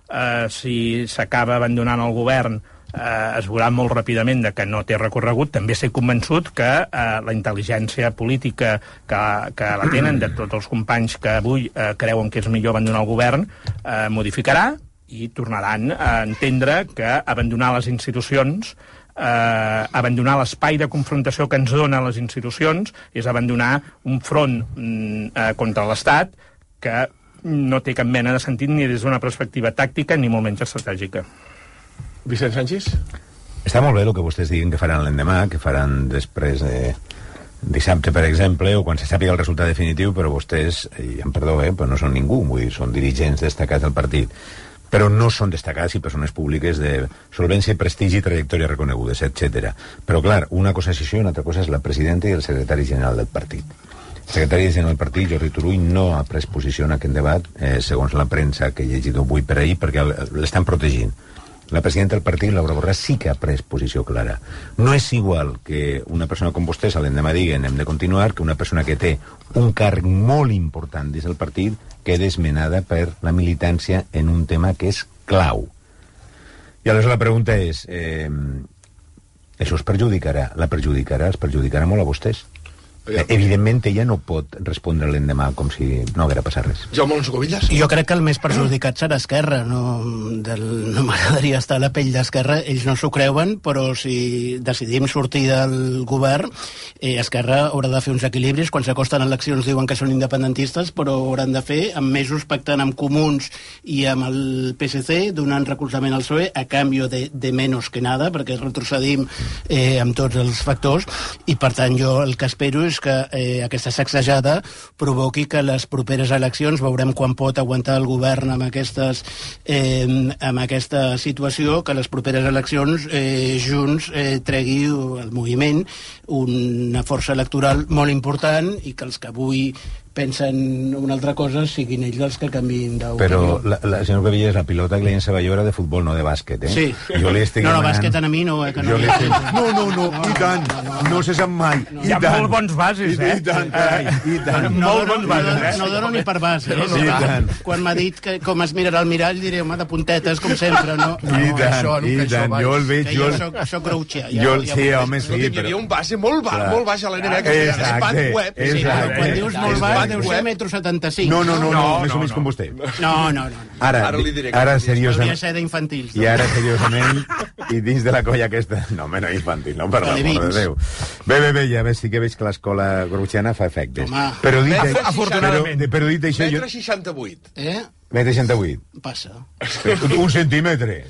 eh, si s'acaba abandonant el govern, eh, es veurà molt ràpidament de que no té recorregut, també estic convençut que eh, la intel·ligència política que, que la tenen de tots els companys que avui eh, creuen que és millor abandonar el govern eh, modificarà i tornaran a entendre que abandonar les institucions, eh, abandonar l'espai de confrontació que ens dona les institucions és abandonar un front mm, eh, contra l'Estat que no té cap mena de sentit ni des d'una perspectiva tàctica ni molt menys estratègica. Vicent Sánchez? Està molt bé el que vostès diguen que faran l'endemà, que faran després de dissabte, per exemple, o quan se sàpiga el resultat definitiu, però vostès, i em perdó, eh, però no són ningú, vull dir, són dirigents destacats del partit, però no són destacats i persones públiques de solvència, prestigi, trajectòria reconegudes, etcètera. Però, clar, una cosa és això i una altra cosa és la presidenta i el secretari general del partit. El secretari general del partit, Jordi Turull, no ha pres posició en aquest debat, eh, segons la premsa que he llegit avui per ahir, perquè l'estan protegint. La presidenta del partit, Laura Borràs, sí que ha pres posició clara. No és igual que una persona com vostès a l'endemà diguen hem de continuar que una persona que té un càrrec molt important dins del partit quede esmenada per la militància en un tema que és clau. I aleshores la pregunta és eh, això es perjudicarà? La perjudicarà? Es perjudicarà molt a vostès? Evidentment ella no pot respondre l'endemà com si no haguera passat res. Jaume Alonso Cuevillas? Jo crec que el més perjudicat serà Esquerra. No, del, no m'agradaria estar a la pell d'Esquerra. Ells no s'ho creuen, però si decidim sortir del govern, eh, Esquerra haurà de fer uns equilibris. Quan s'acosten eleccions diuen que són independentistes, però hauran de fer amb mesos pactant amb Comuns i amb el P S C, donant recolzament al P S O E a canvi de, de menys que nada, perquè retrocedim eh, amb tots els factors, i per tant jo el que espero és doncs, que eh, aquesta sacsejada provoqui que les properes eleccions, veurem quan pot aguantar el govern amb, aquestes, eh, amb aquesta situació, que les properes eleccions eh, Junts eh, tregui el moviment una força electoral molt important i que els que avui pensen una altra cosa siguin ells els que canviïn d'opinió. Però, la, la, senyor Cuevillas, la pilota que li llençava jo era de futbol, no de bàsquet, eh? Sí. Jo li estic no, no, demanant... bàsquet a mi no, eh? Que no, li estic... no, no, no, i tant, no se sap mai. No. Hi ha molt bons bases, eh? I tant, carai, i tant. No, molt bons bases, eh? No dono ni per base, eh? Sí, i tant. Quan m'ha dit que com es mirarà al mirall, diré, home, de puntetes, com sempre, no? I tant, i tant, jo el veig... Jo soc grouchia. Jo, sí, home, sí, però... Hi havia un base molt baix a l'N B A, que era Spat Web. Quan dius molt baix, deu ser metro setanta-cinc. No, no, no, no, més o menys com vostè. No, no, no. Ara, ara seriosament... Hauria de ser d'infantils. I ara, seriosament, i dins de la colla aquesta... No, home, no infantil, no, per l'amor de Déu. Bé, bé, bé, ja ves, sí que veig que l'escola grouchiana fa efectes. Però dit, afortunadament. Però dit això... Metre seixanta-vuit. Eh? Metre seixanta-vuit. Passa. Un centímetre.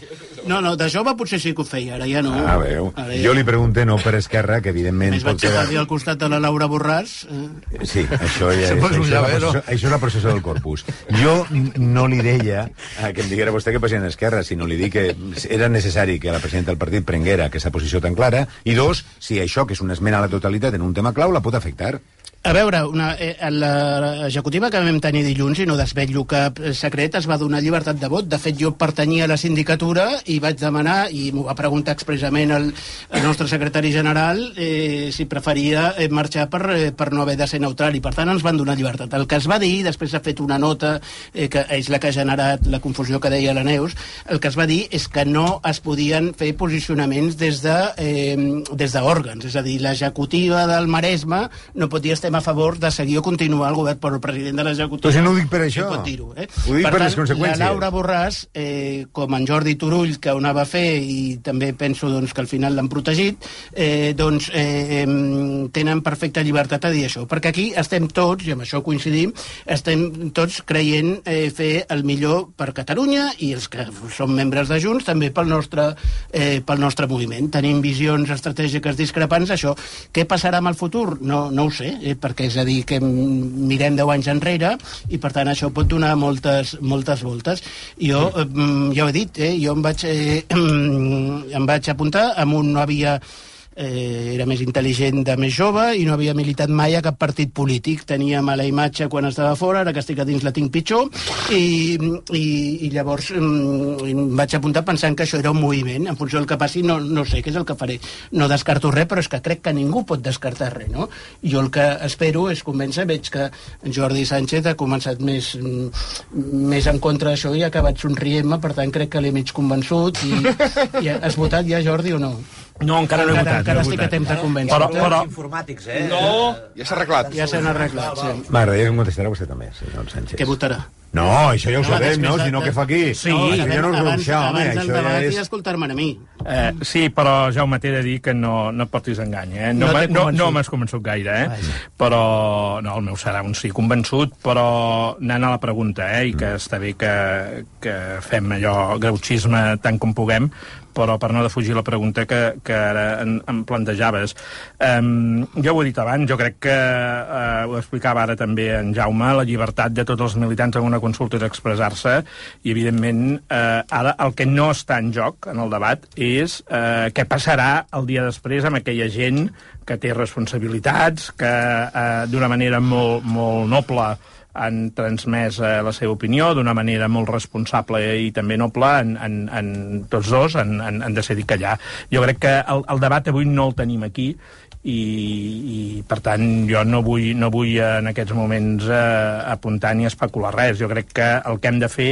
No, no, de jove potser sí que ho feia, ara ja no. Ah, veu. Ja... Jo li pregunto, no per Esquerra, que evidentment... Més vaig quedar al costat de la Laura Borràs. Eh? Sí, això ja és, això, és la processó, això és la processó del corpus. Jo no li deia que em diguera vostè que president d'Esquerra, sinó li dic que era necessari que la presidenta del partit prenguera aquesta posició tan clara, i dos, si això, que és una esmena a la totalitat en un tema clau, la pot afectar. A veure, una, eh, l'executiva que vam tenir dilluns, i no desvetllo cap secret, es va donar llibertat de vot. De fet, jo pertanyia a la sindicatura i vaig demanar, i m'ho va preguntar expressament el, el nostre secretari general, eh, si preferia eh, marxar per, eh, per no haver de ser neutral, i per tant ens van donar llibertat. El que es va dir, després s'ha fet una nota, eh, que és la que ha generat la confusió que deia la Neus, el que es va dir és que no es podien fer posicionaments des de, eh, des d'òrgans, és a dir, l'executiva del Maresme no podia estar a favor de seguir o continuar el govern, però el president de l'executiva... Però si no ho dic per això. Pot dir-ho, eh? Ho dic per, per tant, les conseqüències. La Laura Borràs, eh, com en Jordi Turull, que ho anava a fer, i també penso doncs, que al final l'han protegit, eh, doncs eh, tenen perfecta llibertat a dir això. Perquè aquí estem tots, i amb això coincidim, estem tots creient eh, fer el millor per Catalunya, i els que som membres de Junts també pel nostre, eh, pel nostre moviment. Tenim visions estratègiques discrepants, això. Què passarà amb el futur? No, no ho sé, eh, perquè és a dir que mirem deu anys enrere i per tant això pot donar moltes, moltes voltes. Jo ja ho he dit, eh, jo em vaig, eh, em vaig apuntar amb un no havia eh, era més intel·ligent de més jove i no havia militat mai a cap partit polític. Tenia mala imatge quan estava fora, ara que estic a dins la tinc pitjor, i, i, i llavors em vaig apuntar pensant que això era un moviment. En funció del que passi no, no sé què és el que faré. No descarto res, però és que crec que ningú pot descartar res, no? Jo el que espero és convèncer, veig que Jordi Sánchez ha començat més, més en contra d'això i ha acabat somrient-me, per tant crec que l'he mig convençut. I, i has votat ja, Jordi, o no? No, encara no he votat. Encara estic a temps de convèncer. Però, però... informàtics, eh? No, ja s'ha arreglat. Ja s'han arreglat, sí. M'agradaria que em contestarà vostè també, senyor Sánchez. Què votarà? No, això ja ho sabem, no? Si no, què fa aquí? Sí, no, abans, ja no us abans, home. abans Això del debat ja és... i escoltar-me a mi. Eh, sí, però Jaume, t'he de dir que no, no et portis engany, eh? No, No no, t'he no, convençut. no m'has convençut gaire, eh? Vaja. Però, no, el meu serà un sí convençut, però anant a la pregunta, eh? I que està bé que, que fem allò, grouchisme tant com puguem, però per no defugir la pregunta que, que ara em, em plantejaves. Um, jo ho he dit abans, jo crec que, uh, ho explicava ara també en Jaume, la llibertat de tots els militants en una consulta és expressar-se, i evidentment uh, ara el que no està en joc en el debat és uh, què passarà el dia després amb aquella gent que té responsabilitats, que uh, d'una manera molt, molt noble han transmès eh, la seva opinió d'una manera molt responsable i també noble, en, en, en tots dos han, han, han decidit callar. Jo crec que el, el debat avui no el tenim aquí i, i per tant jo no vull, no vull en aquests moments eh, apuntar ni especular res. Jo crec que el que hem de fer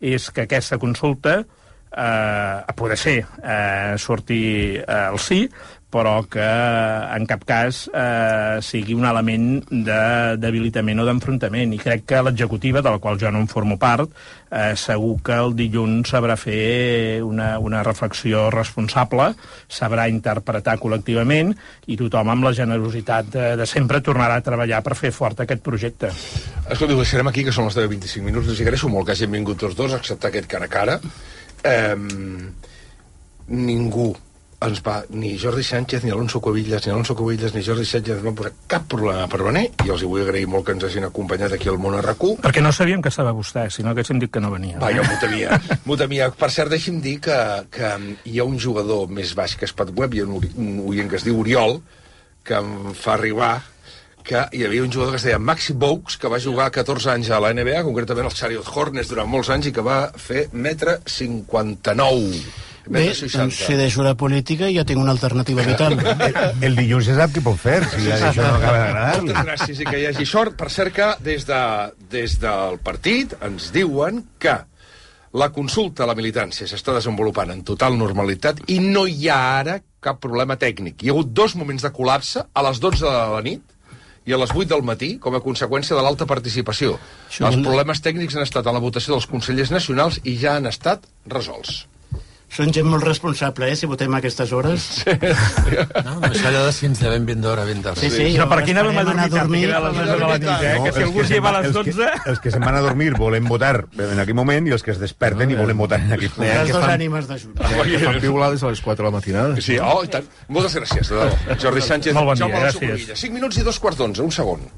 és que aquesta consulta eh, a poder ser eh, surti eh, el sí, però que en cap cas eh, sigui un element de debilitament o d'enfrontament. I crec que l'executiva, de la qual jo no en formo part, eh, segur que el dilluns sabrà fer una, una reflexió responsable, sabrà interpretar col·lectivament, i tothom amb la generositat de, de sempre tornarà a treballar per fer fort aquest projecte. Escolta, ho deixarem aquí, que són les deu vint-i-cinc minuts. Els agraeixo molt que hagin vingut tots dos a acceptar aquest cara a cara. Eh, ningú ens va, ni Jordi Sánchez, ni Alonso Cuevillas, ni Alonso Cuevillas, ni Jordi Sánchez no van posar cap problema per venir, i els hi vull agrair molt que ens hagin acompanyat aquí al Món R Q. Perquè no sabíem que estava vostè, sinó que haguéssim dit que no venia. Va, jo m'ho temia. M'ho temia. Per cert, deixi'm dir que, que hi ha un jugador més baix que Spatweb, i un, un oient que es diu Oriol, que em fa arribar que hi havia un jugador que es deia Maxi Boux, que va jugar catorze anys a la N B A, concretament als Charlotte Hornets durant molts anys, i que va fer metre cinquanta-nou. Bé, doncs si deixo la política ja tinc una alternativa vital. El, el dilluns se sap què pot fer, si ja això no acaba d'agradar-li. Moltes gràcies i que hi hagi sort. Per cert que des, de, des del partit ens diuen que la consulta a la militància s'està desenvolupant en total normalitat i no hi ha ara cap problema tècnic. Hi ha hagut dos moments de col·lapse a les dotze de la nit i a les vuit del matí, com a conseqüència de l'alta participació. Això Els problemes tècnics han estat a la votació dels consellers nacionals i ja han estat resolts. Són gent molt responsable, eh, si votem a aquestes hores. Sí. No, això allò de si ens devem ben d'hora, ben d'hora. Sí, sí, però per aquí anàvem a dormir, a dormir a les dotze de la nit, eh? No, que si algú es lleva a les dotze... Els que, els que se'n van a dormir volen votar en aquell moment i els que es desperten no, i volen votar en aquell moment. Les dues ànimes de junta. Que fan piulades a les quatre de la matinada. Sí, oh, i tant. Moltes gràcies, de debò. Jordi Sánchez, Molt bon dia, Jaume gràcies. cinc minuts i dos quarts d'onze, un segon.